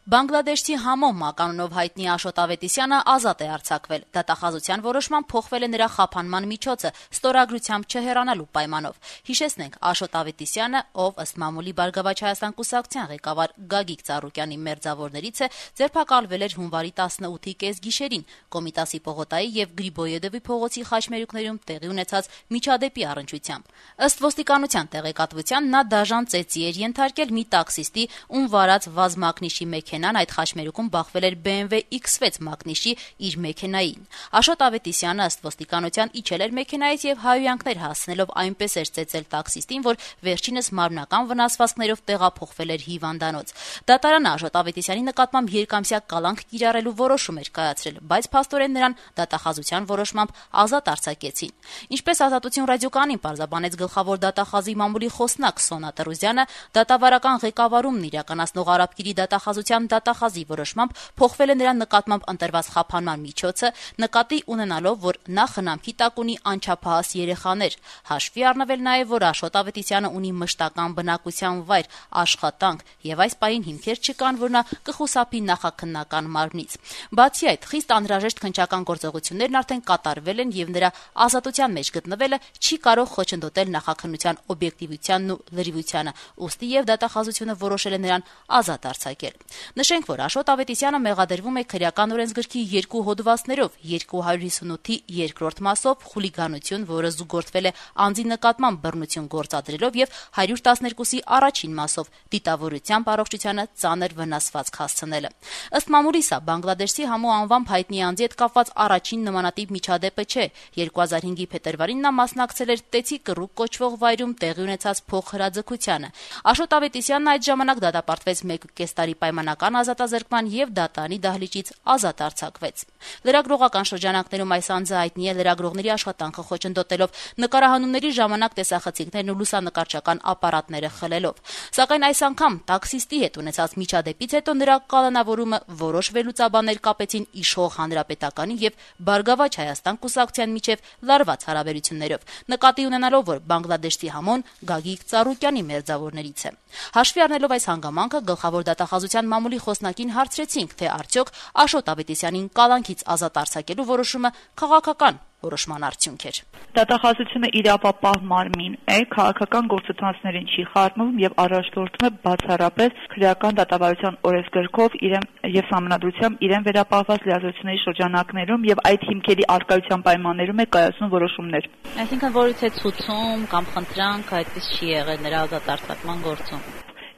Բանգլադեշցի Համո մականունով հայտնի Աշոտ Ավետիսյանը ազատ է արձակվել։ Դատախազության որոշմամբ փոխվել է նրա խափանման միջոցը ստորագրությամբ չհեռանալու պայմանով։ Հիշեցնենք, Աշոտ Ավետիսյանը, ով ըստ մամուլի Բարգավաճ Հայաստան կուսակցության ղեկավար Գագիկ Ծառուկյանի մերձավորներից է, ձերբակալվել էր հունվարի 18-ի կեսգիշերին Կոմիտասի պողոտայի եւ Գրիբոյեդովի փողոցի խաչմերուկներում տեղի ունեցած միջադեպի առնչությամբ։ Ըստ ոստիկանության տեղեկատվության, նա դաժան ծեծի էր ենթարկել մի տաքսիստի, ում վարած վազ մակնիշի մեքենան այդ խաչմերուկում բախվել էր BMW X6 մակնիշի իր մեքենային։ Աշոտ Ավետիսյանը ըստ ոստիկանության իջել էր մեքենայից եւ հայհոյանքներ հասցնելով այնպես էր ծեծել տաքսիստին, որ վերջինս մարմնական վնասվածքներով տեղափոխվել էր հիվանդանոց։ Դատարանը Աշոտ Ավետիսյանի նկատմամբ երկամսյա կալանք կիրառելու որոշում էր կայացրել, բայց փաստորեն նրան դատախազության որոշմամբ ազատ արձակեցին։ Ինչպես Ազատություն ռադիոկայանին պարզաբանեց գլխավոր դատախազի մամուլի խոսնակ Սոնա Տրուզյանը, դատավարական ղեկավարումն իրականացնող Արաբկիրի դատախազության դատախազի որոշմամբ փոխվել է նրան նկատմամբ ընտրված խափանման միջոցը, նկատի ունենալով, որ նա խնամքի տակ ունի անչափահաս երեխաներ, հաշվի առնվել նաև, որ Աշոտ Ավետիսյանը ունի մշտական բնակության վայր, աշխատանք եւ այս պահին հիմքեր չկան, որ նա կխուսափի նախաքննական մարմնից։ Բացի այդ, խիստ անհրաժեշտ քննչական գործողություններն արդեն կատարվել են եւ նրա ազատության մեջ գտնվելը չի կարող խոչընդոտել նախաքննության օբյեկտիվությանն ու լրիվությանը, ուստի եւ դատախազությունը որոշել է նրան ազատ արձակել։ Նշենք, որ Աշոտ Ավետիսյանը մեղադրվում է քրեական օրենսգրքի 2 հոդվածներով, 258-ի 2-րդ մասով խուլիգանություն, որը զուգորդվել է անձի նկատմամբ բռնություն գործադրելով, եւ 112-ի առաջին մասով դիտավորությամբ առողջությանը ծանր վնասվածք հասցնելը։ Ըստ մամուլի, սա Բանգլադեշի Համո անվամբ հայտնի անձի հետ կապված առաջին նմանատիպ միջադեպը չէ։ 2005-ի փետրվարին նա մասնակցել էր Տեցի կռուկ կոչվող վայրում տեղի ունեցած փոխհրաձգությանը։ Աշոտ Ավետիսյանն այդ ժամանակ դատապարտվեց 1.5 տարի պայմանական ազատազրկման եւ դատարանի դահլիճից ազատ արձակվեց։ Լրագրողական շրջանակներում այս անձը հայտնի է լրագրողների աշխատանքը խոչընդոտելով, նկարահանումների ժամանակ տեսախցիկներն ու լուսանկարչական ապարատները խլելով։ Սակայն այս անգամ տաքսիստի հետ ունեցած միջադեպից հետո նրա կալանավորումը որոշ վերլուծաբաններ կապեցին իշխող Հանրապետականի եւ Բարգավաճ Հայաստան կուսակցության միջև լարված հարաբերություններով, նկատի ունենալով, որ Բանգլադեշի Համոն Գագիկ Ծառուկյանի մերձավորներից է։ Հաշվի առնելով այս հանգամանքը, գլխավոր դատախազության մամուլի խոսնակին հարցրեցինք, թե արդյոք Աշոտ Ավետիսյանին կալանքից ազատ արձակելու որոշումը քաղաքական որոշման արդյունք էր։ Դատախազությունը իրավապահ մարմին է, քաղաքական գործընթացներին չի խառնվում եւ առաջնորդում է բացառապես քրեական դատավարության օրենսգրքով եւ սահմանադրությամբ իրեն վերապահված լիազորությունների շրջանակներում եւ այդ հիմքերի արկայության պայմաններում է կայացնում որոշումներ։ Այսինքն որից է ցուցում կամ խնդրանք այդպես չի եղել նրա ազատ արձակման գործում։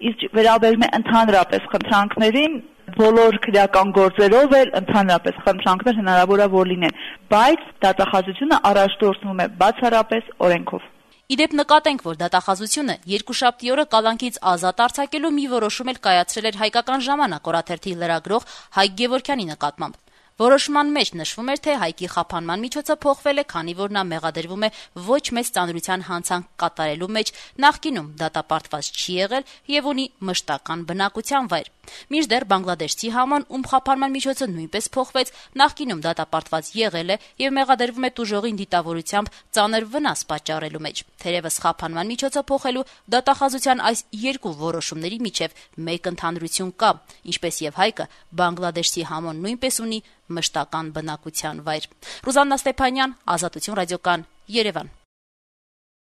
Իսկ վերաբերում է ընդհանրապես խնդրանքներին, բոլոր քրեական գործերով էլ ընդհանրապես խնդրանքներ հնարավոր է որ լինեն, բայց դատախազությունը առաջնորդվում է բացառապես օրենքով։ Իդեպ նկատենք, որ դատախազությունը երկուշաբթի օրը կալանքից ազատ արձակելու մի որոշում էլ կայացրել էր Հայկական ժամանակ օրաթերթի լրագրող Հայկ Գևորգյանի նկատմամբ։ Որոշման մեջ նշվում էր, թե Հայկի խափանման միջոցը փոխվել է, քանի որ նա մեղադրվում է ոչ մեծ ծանրության հանցանք կատարելու մեջ, նախկինում դատապարտված չի եղել եւ ունի մշտական բնակության վայր։ Մինչդեռ Բանգլադեշի Համոն, ում խափանման միջոցը նույնպես փոխվեց, նախկինում դատապարտված եղել է եւ մեղադրվում է տուժողին դիտավորությամբ ծանր վնաս պատճառելու մեջ։ Թերևս խափանման միջոցը փոխելու դատախազության այս երկու որոշումների միջև մեկ ընդհանրություն կա, ինչպես եւ Հայկը, Բանգլադեշի Համոն նույնպես ունի մշտական բնակության վայր։ Ռուզաննա Ստեփանյան, Ազատություն ռադիոկայան, Երևան։